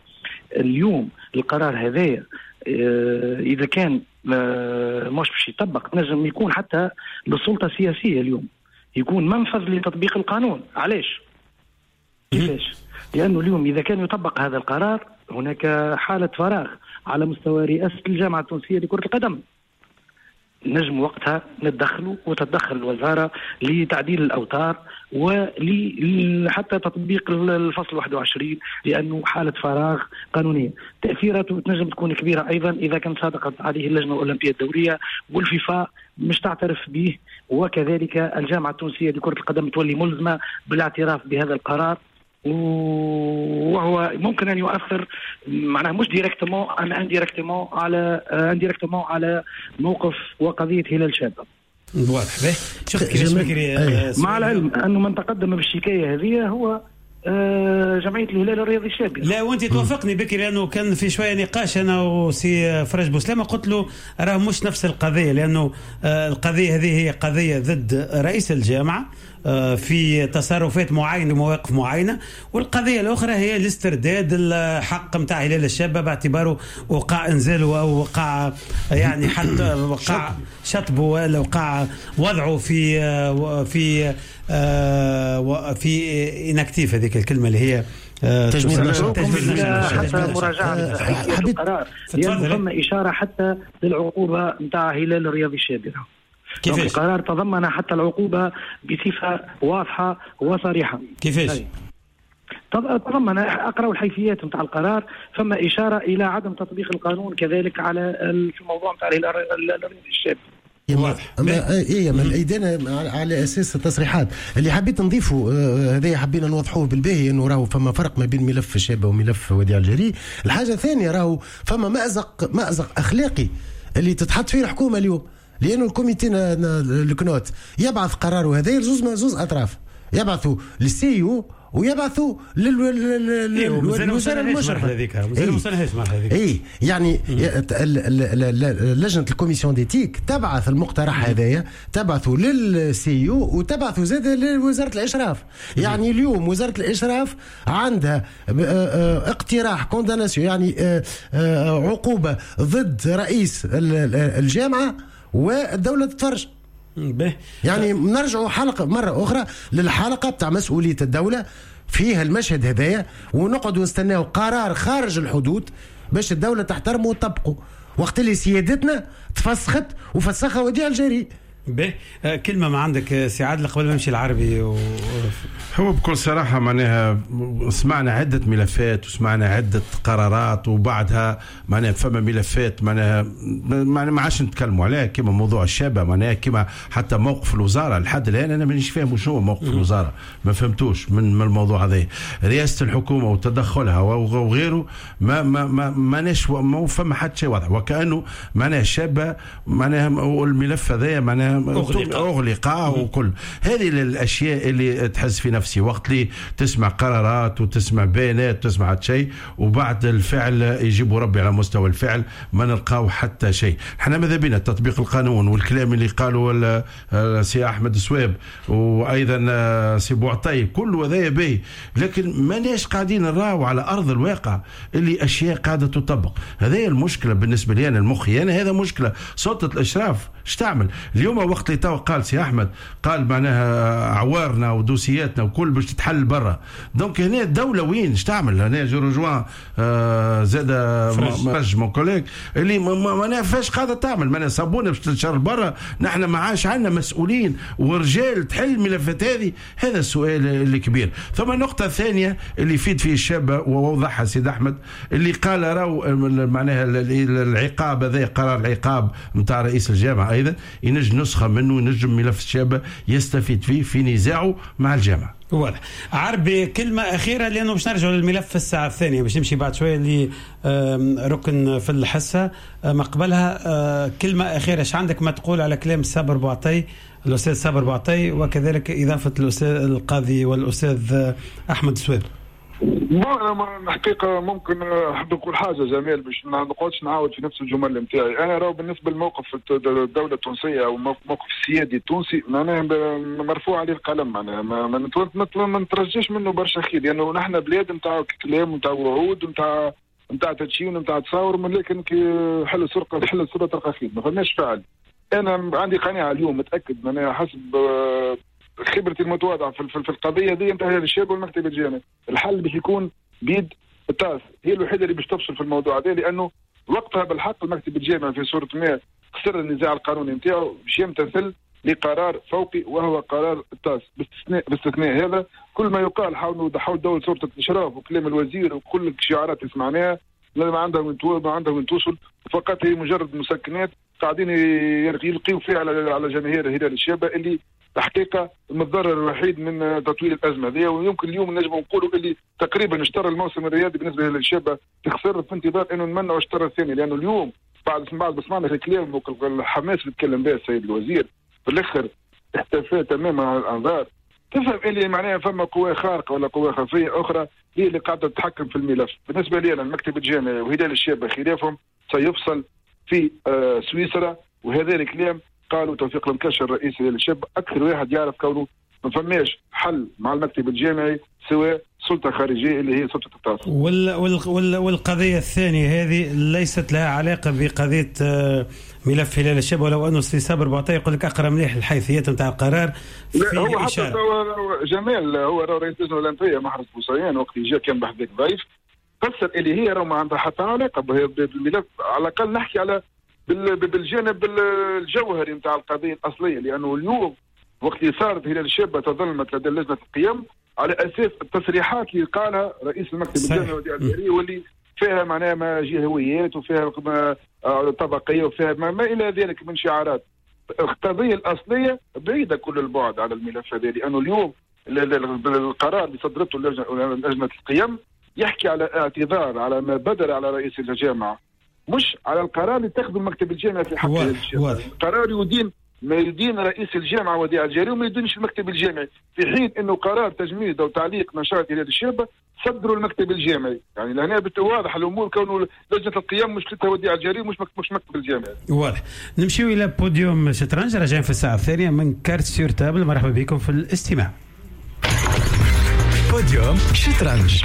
اليوم القرار هذايا إذا كان مش باش يطبق نجم يكون حتى للسلطة السياسية اليوم يكون منفذ لتطبيق القانون. علاش؟ كيفاش؟ لأنه اليوم إذا كان يطبق هذا القرار هناك حالة فراغ على مستوى رئاسة الجامعة التونسية لكرة القدم، نجم وقتها نتدخلوا وتتدخل الوزارة لتعديل الأوتار وحتى تطبيق الفصل واحد وعشرين، لأنه حالة فراغ قانونية. تأثيراته تنجم تكون كبيرة أيضا إذا كان صادقت عليه اللجنة الأولمبية الدولية والفيفا مش تعترف به، وكذلك الجامعة التونسية لكرة القدم تولي ملزمة بالاعتراف بهذا القرار، وهو ممكن ان يؤثر معناها مش directement ان indirectement على indirectement على موقف وقضية هلال شابه. واضح. به شفت كيفاش بكري، مع العلم انه من تقدم بالشكايه هذه هو جمعية الهلال الرياضي الشابي. لا وانت توافقني بكري، لانه كان في شوية نقاش انا وسي فرج بوسلامه، قلت له راه مش نفس القضية، لانه القضية هذه هي قضية ضد رئيس الجامعة في تصرفات معينة ومواقف معينة، والقضية الاخرى هي الاسترداد الحق نتاع هلال الشابة باعتباره وقع انزاله او وقع يعني حتى وقع شطبه ولا وقع وضعه في في في inactif، هذيك الكلمة اللي هي تجميد نشاط، حتى مراجعه القرار، لأنه ثم اشارة حتى للعقوبة نتاع هلال الرياضي الشابي. كيفاش القرار تضمن حتى العقوبة بصفة واضحة وصريحة؟ كيفاش تضمن؟ اقرأوا الحيثيات نتاع القرار، فما اشارة الى عدم تطبيق القانون كذلك على في الموضوع نتاع الهلال الرياضي الشابي. واضح. ايه من الايدان على اساس التصريحات اللي حبيت نضيفه، هذا حبينا نوضحوه بالباهي، انه راهو فما فرق ما بين ملف الشابة وملف وديع الجري. الحاجة الثانية راهو فما مأزق مأزق اخلاقي اللي تتحط فيه الحكومة اليوم، لانه ال comité الكنوت يبعث قراره هذا زوز زوز اطراف، يبعثوا لل CIO ويبعثوا للوزارة المشرفة. اي يعني لجنة ال commission d'éthique تبعث المقترح هذايا، تبعثوا لل CIO وتبعثوا زاد لوزارة الاشراف. يعني اليوم وزارة الاشراف عندها اقتراح condamnation، يعني عقوبه ضد رئيس الجامعة والدولة تتفرج. يعني نرجعوا حلقة مرة أخرى للحلقة بتاع مسؤولية الدولة فيها المشهد هذايا، ونقعد ونستناو قرار خارج الحدود باش الدولة تحترمه وتطبقه، وقت اللي سيادتنا تفسخت وفسخها وديع الجري. به كلمة ما عندك سي عادل قبل ما نمشي العربي و... هو بكل صراحة معناها سمعنا عدة ملفات وسمعنا عدة قرارات، وبعدها معناها فما ملفات معناها ما عادش نتكلموا عليها، كما موضوع الشابة، معناها كما حتى موقف الوزارة لحد الآن أنا مانيش فاهم شنو موقف الوزارة، ما فهمتوش من من الموضوع هذا. رئاسة الحكومة وتدخلها وغيره ما ما ما ماناش ما فما حتى شيء واضح، وكأنه معناها الشابة معناها الملف هذا معناها أغلق, أغلق وكل هذه الأشياء اللي تحس في نفسي وقت لي تسمع قرارات وتسمع بيانات وتسمع شيء، وبعد الفعل يجيبوا ربي على مستوى الفعل ما نلقاو حتى شيء. احنا ماذا بينا تطبيق القانون والكلام اللي قالوا سي أحمد سواب وأيضا سي بوعطي كل هذا به، لكن ماناش قاعدين نراو على أرض الواقع اللي أشياء قاعدة تطبق. هذه المشكلة بالنسبة لي أنا المخي، أنا هذا مشكلة سلطة الإشراف اش تعمل اليوم. وقت اللي تو قال سي احمد قال معناها عوارنا ودوسياتنا وكل باش تتحل برا، donc هنا الدولة وين اش تعمل؟ هنا je rejoins آه زاد فرج mon collègue اللي معناها فاش قاعدة تعمل، معناها صابونه باش تنشر برا، نحن ما عادش عندنا مسؤولين ورجال تحل الملفات هذه. هذا السؤال الكبير. ثم النقطة الثانية اللي يفيد فيه الشابة ووضحها سيد احمد اللي قال راهو معناها العقاب هذا قرار العقاب نتاع رئيس الجامعة ايضا ينجم نسخه منه، ينجم ملف الشابة يستفيد فيه في نزاعة مع الجامعة. واضح. عربي كلمة أخيرة لأنه باش نرجع للملف في الساعة الثانية، باش نمشي بعد شوية لركن في الحصة ما قبلها. كلمة أخيرة، اش عندك ما تقول على كلام صابر بوعطي، الأستاذ صابر بوعطي، وكذلك إضافة الأستاذ القاضي والأستاذ أحمد سواب؟ انا الحقيقة ممكن احب نقول حاجة جمال باش ما نقعدش نعاود في نفس الجمل نتاعي. انا راهو بالنسبة للموقف الدولة التونسية او الموقف السيادي التونسي معناها مرفوع عليه القلم، معناها ما ما نترجاش منه برشا خير، لانه يعني نحن بلاد نتاع كلام ونتاع وعود ونتاع نتاع تدشين ونتاع تصاور، لكن كي حل السرقة حل السرقة تلقى خير، ما فماش فعل. انا عندي قناعة اليوم متاكد معناها حسب خبرتي المتواضعة في, في القضية دي نتاع الشاب والمكتب الجامعي، الحل باش يكون بيد التاس، هي الوحيدة اللي باش تفصل في الموضوع هذا، لانه وقتها بالحق المكتب الجامعي في صوره ما خسر النزاع القانوني نتاعو باش يمتثل لقرار فوقي وهو قرار التاس. باستثناء باستثناء هذا كل ما يقال حول حول دولة سلطة الاشراف وكلام الوزير وكل الشعارات اللي سمعناها ما عندها وين ما عندها وين توصل، فقط هي مجرد مسكنات قاعدين يلقيوا فيها على على جماهير هلال الشابة اللي الحقيقة المتضرر الوحيد من تطويل الازمة هذه. ويمكن اليوم نجم نقولوا اللي تقريبا اشترى الموسم الرياضي بالنسبة لهلال الشابة تخسر في انتظار انه نمنعوا اشترى الثاني، لانه اليوم بعد بعد سمعنا الكلام والحماس اللي تكلم به السيد الوزير في الاخر اختفى تماما عن الانظار. تفهم اللي معناها فما قوى خارقة ولا قوى خفيه اخرى هي اللي قاعدة تتحكم في الملف. بالنسبة لي انا المكتب الجامعي وهلال الشابة خلافهم سيفصل في آه سويسرا، وهذا الكلام قالوا توفيق المكشر رئيس هلال الشابة اكثر واحد يعرف كونه ما فماش حل مع المكتب الجامعي سوى سلطة خارجية اللي هي سلطة التاس. وال وال والقضية الثانية هذه ليست لها علاقة بقضيه ملف هلال الشابة، ولو انه سي صابر بوعطيه يقول لك اقرا مليح الحيثيات نتاع القرار. لا هو حتى جمال هو رئيس اللجنة الاولمبية محرز بوصيان وقت جاء كان بحذاك ضيف فسر اللي هي راه ما عندها حتى علاقة بالملف، على الاقل نحكي على بالجانب الجوهري نتاع القضية الاصلية، لانه اليوم وقت اللي صارت هلال الشابة تظلمت لدى لجنة القيم على اساس التصريحات اللي قالها رئيس المكتب الجامعي وديع الجري واللي فيها معناها ما جهويات وفيها طبقية وفيها ما, ما الى ذلك من شعارات. القضية الاصلية بعيدة كل البعد على الملف هذا، لانه اليوم القرار اللي صدرته لجنة القيم يحكي على اعتذار على ما بدر على رئيس الجامعة، مش على القرار اللي اتخذه المكتب الجامعي في حق القرار يدين ما يدين رئيس الجامعة وديع الجاري وما يدينش المكتب الجامعي، في حين انه قرار تجميد او تعليق نشاط هلال الشابة صدروا المكتب الجامعي. يعني لهنا واضح الامور كونه لجنة القيم مشكلتها وديع الجاري مش مش مكتب الجامعي. واضح. نمشيو الى بوديوم شطرنج، راجعين في الساعة الثانية من Cartes sur table. مرحبا بكم في الاستماع. بوديوم شطرنج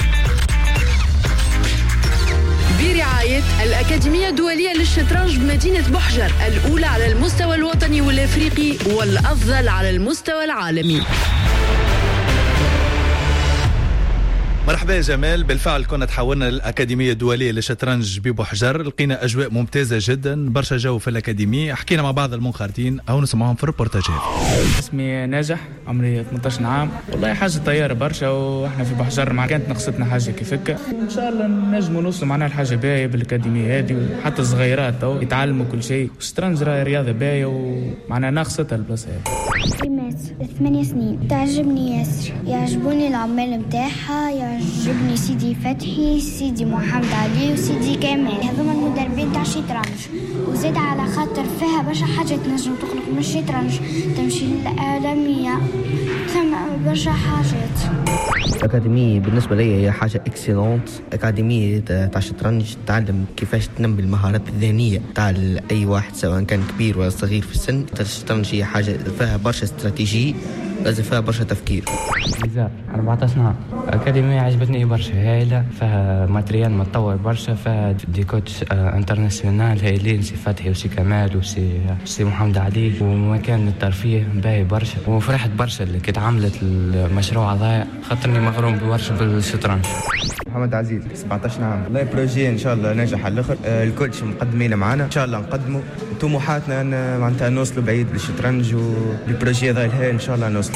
برعاية الأكاديمية الدولية للشطرنج بمدينة بحجر، الأولى على المستوى الوطني والأفريقي والأفضل على المستوى العالمي. مرحبا يا جمال. بالفعل كنا تحولنا للأكاديمية الدولية للشطرنج ببحجر، لقينا أجواء ممتازة جدا، برشا جو في الأكاديمية، حكينا مع بعض المنخرطين أو نسمعهم في الريبورتاجات. اسمي ناجح، عمري ثمانية عشر عام. والله حاجة طيارة برشا، وإحنا في بحجر ما كانت نقصتنا حاجة كيفك. إن شاء الله نجموا نوصلوا معنا الحاجة باهية بالأكاديمية هذه، وحتى الصغيرات تو يتعلموا كل شيء. الشطرنج راهي رياضة باهية ومعنا ناقصتها البلاصة هذه. ثمانية سنين تعجبني ياسر، يعجبوني العمال متاعها، يعجبني سيدي فتحي، سيدي محمد علي، وسيدي كمال، هذوما المدربين تاع الشطرنج. وزيد على خاطر فيها برشا حاجات تنجم تخرج من الشطرنج، تمشي للعالمية، ثم برشا حاجات. الأكاديمية بالنسبة لي هي حاجة excellente. أكاديمية تاع الشطرنج تعلم كيفاش تنمي المهارات الذهنية تاع أي واحد سواء كان كبير ولا صغير في السن. الشطرنج هي حاجة فيها برشا استراتيجية، لازم فيها برشا تفكير. نزار أربعة عشر عام. أكاديمية عجبتني برشا، هايلة، فيها matériel متطور برشا، فيها des coachs internationaux هايلين، سي فتحي وسي كمال وسي سي محمد علي، ومكان الترفيه باهي برشا. وفرحت برشا اللي كي تعملت المشروع هذا، خاطرني مغروم برشا بالشطرنج. محمد عزيز سبعة عشر عام. والله projet ان شاء الله ناجح على الاخر، ال coach مقدمين معنا ان شاء الله نقدموا طموحاتنا ان معناتها نوصلوا بعيد بالشطرنج، وال projet هذا ان شاء الله نوصلوا.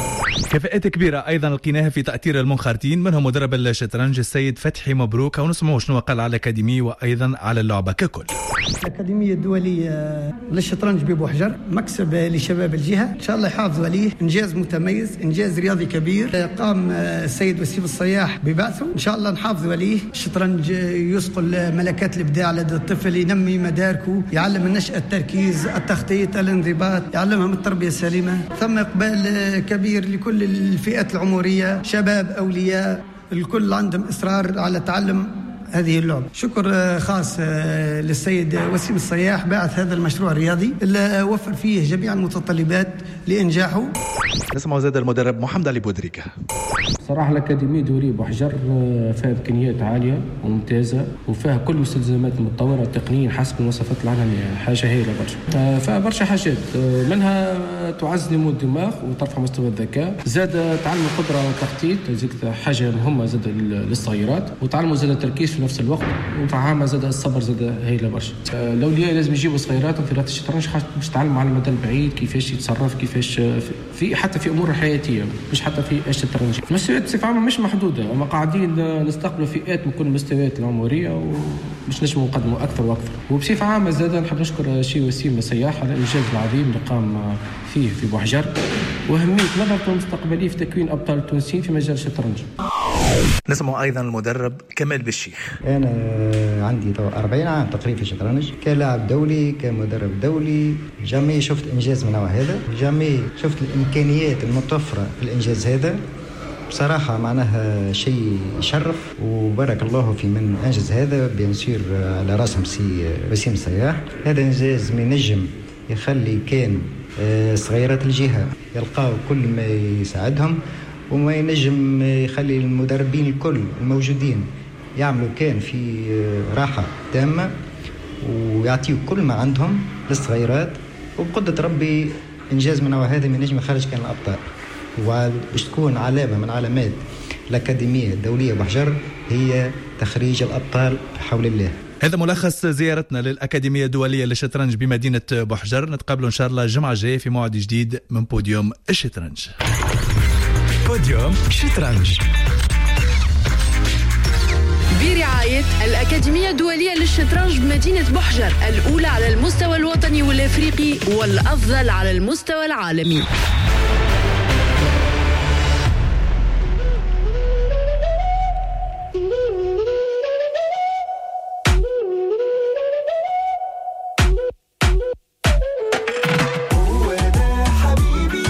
كفاءات كبيرة أيضا لقيناها في تأثير المنخرطين، منهم مدرب الشطرنج السيد فتحي مبروك، ونسمعوا شنو قال على الأكاديمية وأيضا على اللعبة ككل. الأكاديمية الدولية للشطرنج ببوحجر مكسب لشباب الجهة، إن شاء الله يحافظوا عليه، إنجاز متميز، إنجاز رياضي كبير قام السيد وسيم الصياح ببعثه، إن شاء الله نحافظوا عليه. الشطرنج يصقل ملكات الإبداع لدى الطفل، ينمي مداركه، يعلم النشأة التركيز، التخطيط، الانضباط، يعلمهم التربية السليمة. ثم إقبال كبير لكل الفئات العمرية، شباب، أولياء. الكل عندهم إصرار على تعلم هذه اللعبة. شكر خاص للسيد وسيم الصياح باعث هذا المشروع الرياضي اللي وفر فيه جميع المتطلبات لإنجاحه. نسمع زاد المدرب محمد علي بودريكة. صراحة الأكاديمية الدولية بوحجر فيها إمكانيات عالية وممتازة، وفيها كل المستلزمات المتطورة تقنيا حسب المواصفات العالمية، حاجة هايلة برشا. فيها برشا حاجات، منها تعزز نمو الدماغ وترفع مستوى الذكاء، زاد تعلم القدرة على التخطيط، زاد حاجة مهمة زاد للصغيرات، وتعلموا زاد التركيز في نفس الوقت، وفعامة زاد الصبر زاد هايلة برشا. الأولياء لازم يجيبوا صغيراتهم في رياضة الشطرنج باش تعلموا على المدى البعيد كيفاش يتصرف، كيفاش في حتى في أمور حياتية، مش حتى في الشطرنج. المستويات بصفة عامة مش محدودة، أما قاعدين نستقبلوا فئات من كل المستويات العمرية وباش نجموا نقدموا أكثر وأكثر. وبصفة عامة زاد نحب نشكر شي وسيم السياح على الإنجاز العظيم اللي قام فيه في بوحجر، وأهمية نظرته المستقبلية في تكوين أبطال تونسيين في مجال الشطرنج. نسمع أيضا المدرب كمال بالشيخ. أنا عندي أربعين عام تقريبا في الشطرنج، كلاعب دولي كمدرب دولي، jamais شفت إنجاز من نوع هذا، jamais شفت الإمكانيات المتوفرة في الإنجاز هذا. بصراحة معناها شيء يشرف، وبارك الله في من أنجز هذا، bien sûr على راسهم سي وسيم السياح. هذا إنجاز من نجم يخلي كان صغيرات الجهة يلقاو كل ما يساعدهم، وما ينجم يخلي المدربين الكل الموجودين يعملوا كان في راحة تامة ويعطيوا كل ما عندهم للصغيرات. وبقدرة ربي إنجاز من نوع هذا من نجم خارج كان الأبطال، وباش تكون علامة من علامات الأكاديمية الدولية بحجر هي تخريج الأبطال بحول الله. هذا ملخص زيارتنا للأكاديمية الدولية للشطرنج بمدينة بوحجر. نتقابلوا إن شاء الله الجمعة الجاية في موعد جديد من بوديوم الشطرنج. بوديوم شطرنج برعاية الأكاديمية الدولية للشطرنج بمدينة بوحجر، الأولى على المستوى الوطني والأفريقي والأفضل على المستوى العالمي. حبيبي.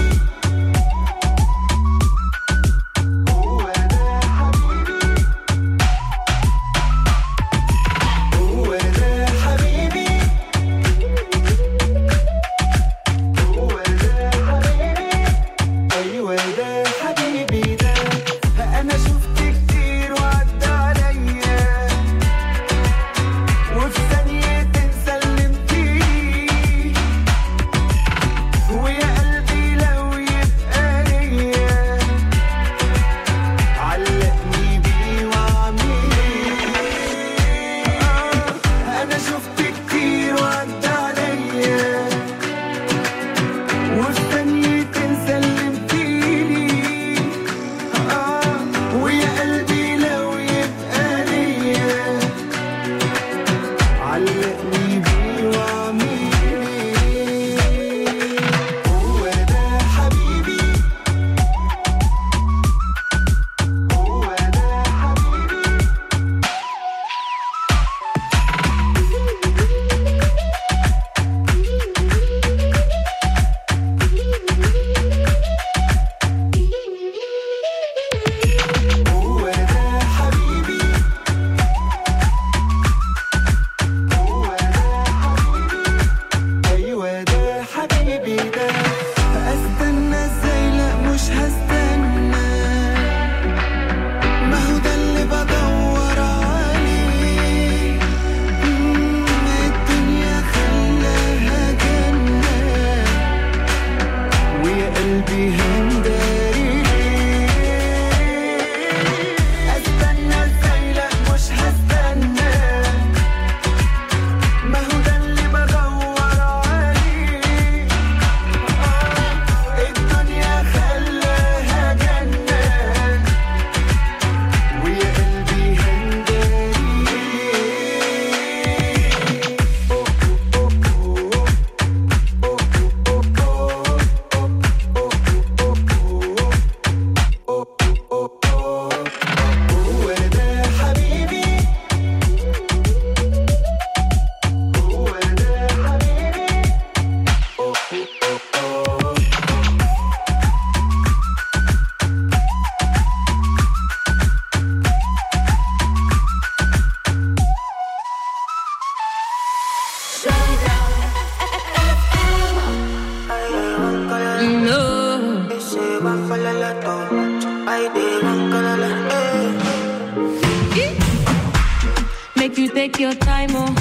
Take your time, oh.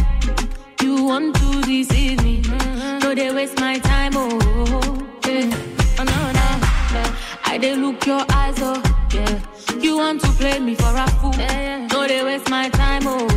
You want to deceive me. No, they waste my time, oh. Yeah. Oh, no, no. Yeah. I dey look your eyes, oh. Yeah. You want to play me for a fool. Yeah. No, they waste my time, oh.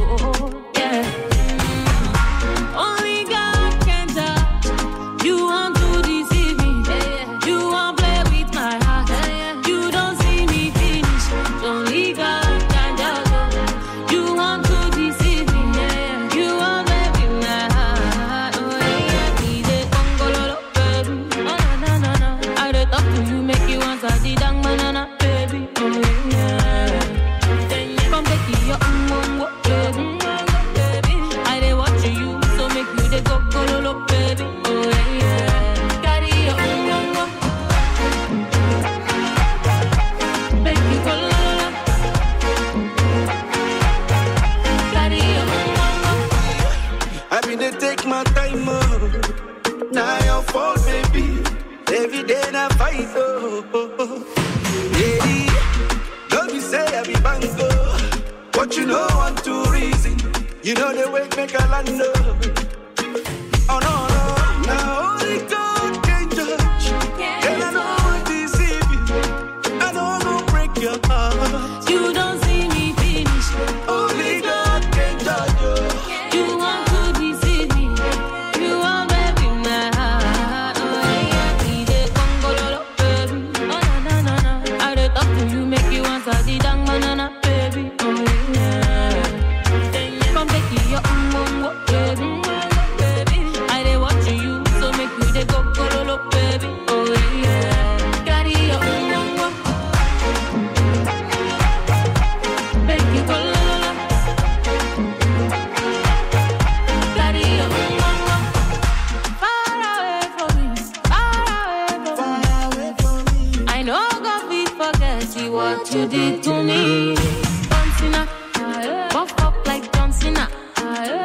Yeah. Mm. Only God can judge. You want to deceive me. Yeah. You want play with my heart. Yeah. You don't see me finish. Only God can judge. You want to deceive me. Yeah. You want play with my heart. Oh, yeah. Yeah. Baby. Oh, no, no, no. I dey talk to you, make you answer the dang banana, baby. Oh, yeah. Come take your own, baby. I dey watch you, so make you dey go go lo lo, baby. Oh, yeah. Carry your own, make you go lo lo. Carry your own. I been dey take my time, oh. Now your fault, baby. Every day I fight, oh, oh, oh. Yeah, don't be say I be bango, but you know want to reason. You know the way make a land, oh. Oh no, no, now only God can judge. And I know I deceive you. I know go break your heart. You don't see me finish. Only God can judge you. You want to deceive me. You want baby my heart. Oh yeah, yeah, Congololo, baby. Oh no, no, no, no. I dey talk to you, make you answer the dang banana, baby. Oh yeah. Come take your own, baby. I dey watch you, so make you dey go gololo, baby. Oh yeah. Carry your own, make you go lolo. Carry your own. Far away from me, far away from me. I know God will forget you what you did to me. John Cena, buff up like John Cena,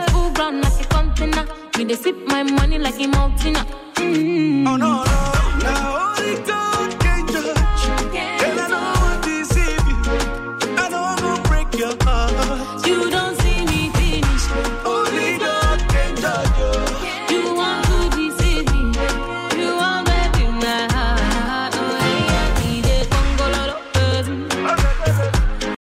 full ground like a container. Me they sip my money like a mountain. Mm. Oh no, no, now only God.